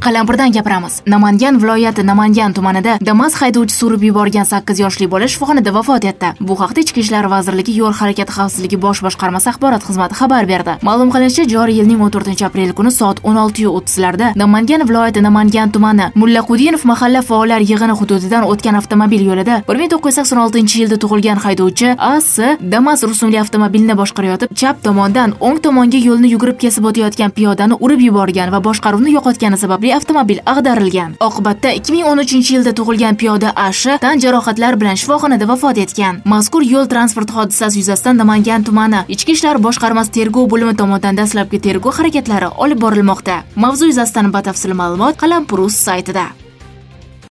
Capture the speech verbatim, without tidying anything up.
Qalampirdan gapiramiz. Namangan viloyati Namangan tumanida Damas haydovchisi urib yuborgan sakkiz yoshli bola shifoxonada vafot etdi. Bu haqda Ichki ishlar vazirligi yo'l harakati xavfsizligi bosh boshqarmasi axborot xizmati xabar berdi. Ma'lum qilinishicha, joriy yilning o'n to'rtinchi aprel kuni soat o'n olti o'ttizlarda Namangan viloyati Namangan tumani Mullaqudinov mahalla faollar yig'ini hududidan o'tgan avtomobil yo'lida bir ming to'qqiz yuz sakson oltinchi yilda tug'ilgan haydovchi A S Damas rusumli avtomobilni boshqarayotib, chap tomondan o'ng tomonga yo'lni yugurib kesib o'tayotgan piyodani urib yuborgan va boshqaruvni yo'qotgani sababli avtomobil ag'darilgan. Oqibatda ikki ming o'n uchinchi yilda tug'ilgan piyoda A Sh tan jarohatlar bilan shifoxonada vafot etgan. Mazkur yo'l transport hodisasi yuzasidan Namangan tumani Ichki ishlar boshqarmasi tergov bo'limi tomonidan dastlabki tergov harakatlari olib borilmoqda. Mavzu yuzasidan batafsil ma'lumot Qalampir uz saytida.